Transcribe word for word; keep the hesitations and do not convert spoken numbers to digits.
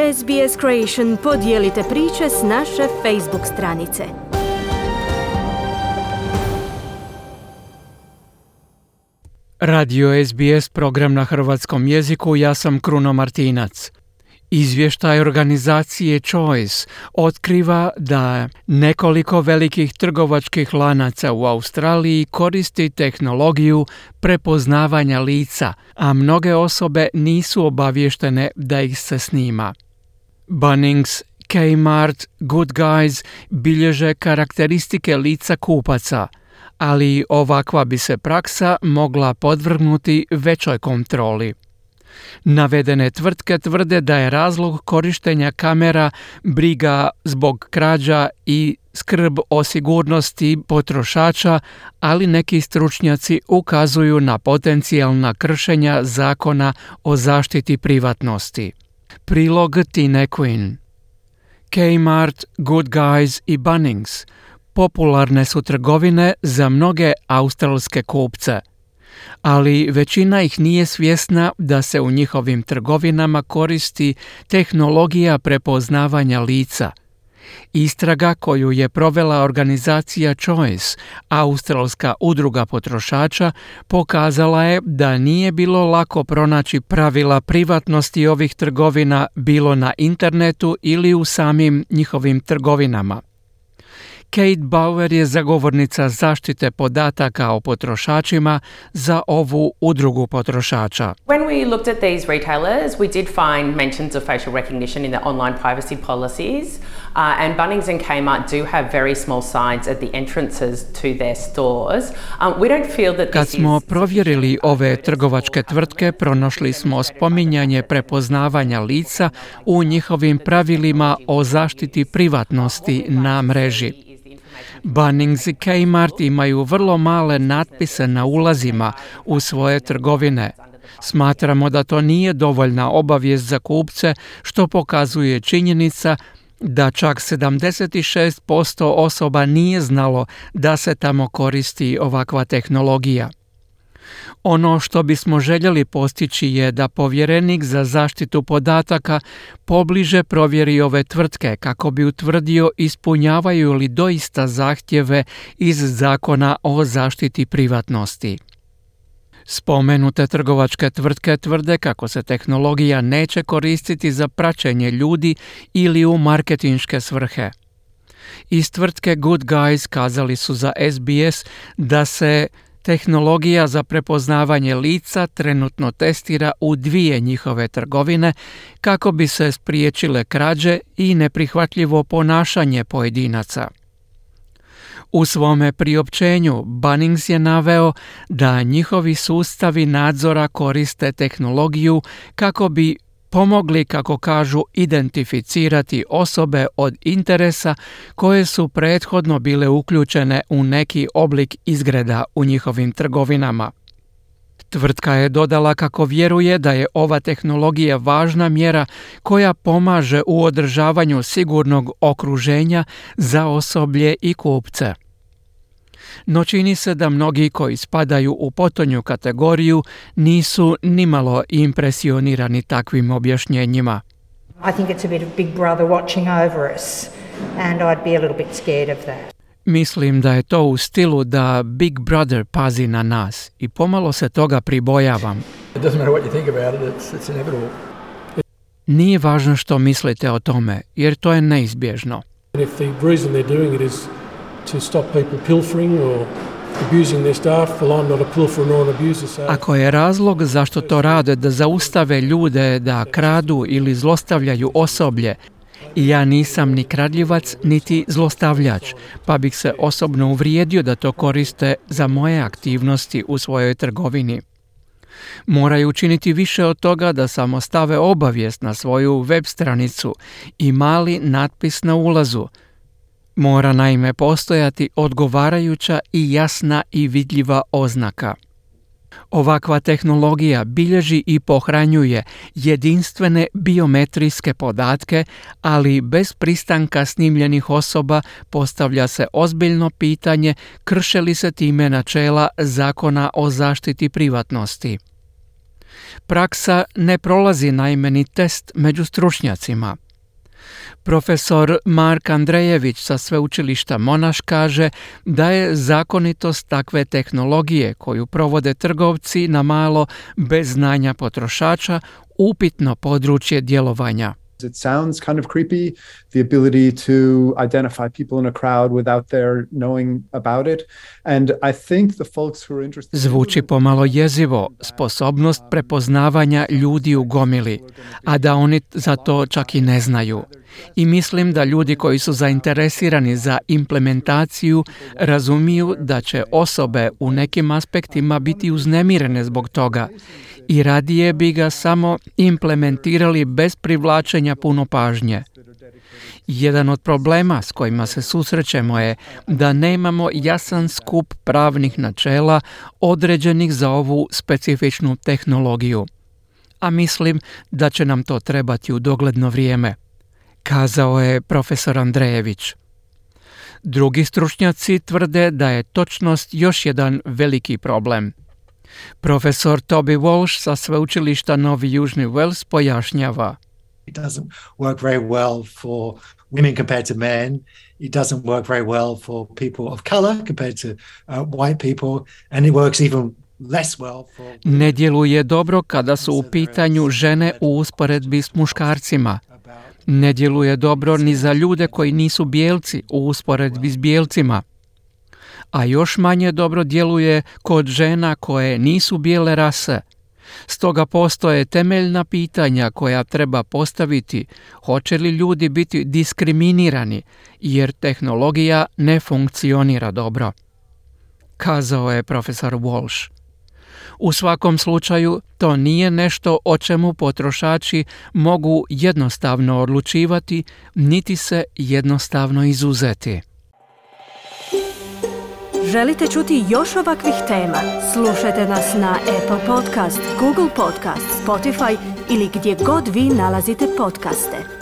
S B S Creation podijelite priče s naše Facebook stranice. Radio S B S, program na hrvatskom jeziku, ja sam Kruno Martinac. Izvještaj organizacije Choice otkriva da nekoliko velikih trgovačkih lanaca u Australiji koristi tehnologiju prepoznavanja lica, a mnoge osobe nisu obavještene da ih se snima. Bunnings, Kmart, Good Guys bilježe karakteristike lica kupaca, ali ovakva bi se praksa mogla podvrgnuti većoj kontroli. Navedene tvrtke tvrde da je razlog korištenja kamera briga zbog krađa i skrb o sigurnosti potrošača, ali neki stručnjaci ukazuju na potencijalna kršenja zakona o zaštiti privatnosti. Prilog Tine Quinn. Kmart, Good Guys i Bunnings popularne su trgovine za mnoge australske kupce, ali većina ih nije svjesna da se u njihovim trgovinama koristi tehnologija prepoznavanja lica. Istraga koju je provela organizacija Choice, australska udruga potrošača, pokazala je da nije bilo lako pronaći pravila privatnosti ovih trgovina bilo na internetu ili u samim njihovim trgovinama. Kate Bauer je zagovornica zaštite podataka o potrošačima za ovu udrugu potrošača. When we looked at these retailers, we did find mentions of facial recognition in their online privacy policies, uh, and Bunnings and Kmart do have very small signs at the entrances to their stores. Um, we don't feel that this Kad smo is... provjerili ove trgovačke tvrtke, pronašli smo spominjanje prepoznavanja lica u njihovim pravilima o zaštiti privatnosti na mreži. Bunnings i Kmart imaju vrlo male natpise na ulazima u svoje trgovine. Smatramo da to nije dovoljna obavijest za kupce, što pokazuje činjenica da čak sedamdeset šest posto osoba nije znalo da se tamo koristi ovakva tehnologija. Ono što bismo željeli postići je da povjerenik za zaštitu podataka pobliže provjeri ove tvrtke kako bi utvrdio ispunjavaju li doista zahtjeve iz zakona o zaštiti privatnosti. Spomenute trgovačke tvrtke tvrde kako se tehnologija neće koristiti za praćenje ljudi ili u marketinške svrhe. Iz tvrtke Good Guys kazali su za S B S da se tehnologija za prepoznavanje lica trenutno testira u dvije njihove trgovine kako bi se spriječile krađe i neprihvatljivo ponašanje pojedinaca. U svome priopćenju Bunnings je naveo da njihovi sustavi nadzora koriste tehnologiju kako bi pomogli, kako kažu, identificirati osobe od interesa koje su prethodno bile uključene u neki oblik izgreda u njihovim trgovinama. Tvrtka je dodala kako vjeruje da je ova tehnologija važna mjera koja pomaže u održavanju sigurnog okruženja za osoblje i kupce. No čini se da mnogi koji spadaju u potonju kategoriju nisu nimalo impresionirani takvim objašnjenjima. I think it's a bit of Big Brother watching over us and I'd be a little bit scared of that. Mislim da je to u stilu da Big Brother pazi na nas i pomalo se toga pribojavam. It doesn't matter what you think about it, it's, it's inevitable. Nije važno što mislite o tome, jer to je neizbježno. And if the reason they're doing it is to stop people pilfering or abusing their staff, well, I'm not a pilferer nor an abuser, so... Ako je razlog zašto to rade da zaustave ljude da kradu ili zlostavljaju osoblje, ja nisam ni kradljivac niti zlostavljač, pa bih se osobno uvrijedio da to koriste za moje aktivnosti u svojoj trgovini. Moraju učiniti više od toga da samo stave obavijest na svoju web stranicu i mali natpis na ulazu. Mora naime postojati odgovarajuća i jasna i vidljiva oznaka. Ovakva tehnologija bilježi i pohranjuje jedinstvene biometrijske podatke, ali bez pristanka snimljenih osoba postavlja se ozbiljno pitanje krše li se time načela zakona o zaštiti privatnosti. Praksa ne prolazi naime ni test među stručnjacima. Profesor Mark Andrejević sa sveučilišta Monash kaže da je zakonitost takve tehnologije koju provode trgovci na malo bez znanja potrošača upitno područje djelovanja. It sounds kind of creepy, the ability to identify people in a crowd without their knowing about it. And I think the folks who are interested... Zvuči pomalo jezivo, sposobnost prepoznavanja ljudi u gomili, a da oni za to čak i ne znaju. I mislim da ljudi koji su zainteresirani za implementaciju razumiju da će osobe u nekim aspektima biti uznemirene zbog toga i radije bi ga samo implementirali bez privlačenja puno pažnje. Jedan od problema s kojima se susrećemo je da nemamo jasan skup pravnih načela određenih za ovu specifičnu tehnologiju. A mislim da će nam to trebati u dogledno vrijeme, kazao je profesor Andrejević. Drugi stručnjaci tvrde da je točnost još jedan veliki problem. Profesor Toby Walsh sa sveučilišta Novi Južni Wales pojašnjava. It doesn't work very well for women compared to men. It doesn't work very well for people of color compared to uh, white people, and it works even less well for... Ne djeluje dobro kada su u pitanju žene u usporedbi s muškarcima. Ne djeluje dobro ni za ljude koji nisu bijelci u usporedbi s bijelcima. A još manje dobro djeluje kod žena koje nisu bijele rase. Stoga postoje temeljna pitanja koja treba postaviti, hoće li ljudi biti diskriminirani jer tehnologija ne funkcionira dobro, kazao je profesor Walsh. U svakom slučaju, to nije nešto o čemu potrošači mogu jednostavno odlučivati, niti se jednostavno izuzeti. Želite čuti još ovakvih tema? Slušajte nas na Apple Podcast, Google Podcast, Spotify ili gdje god vi nalazite podcaste.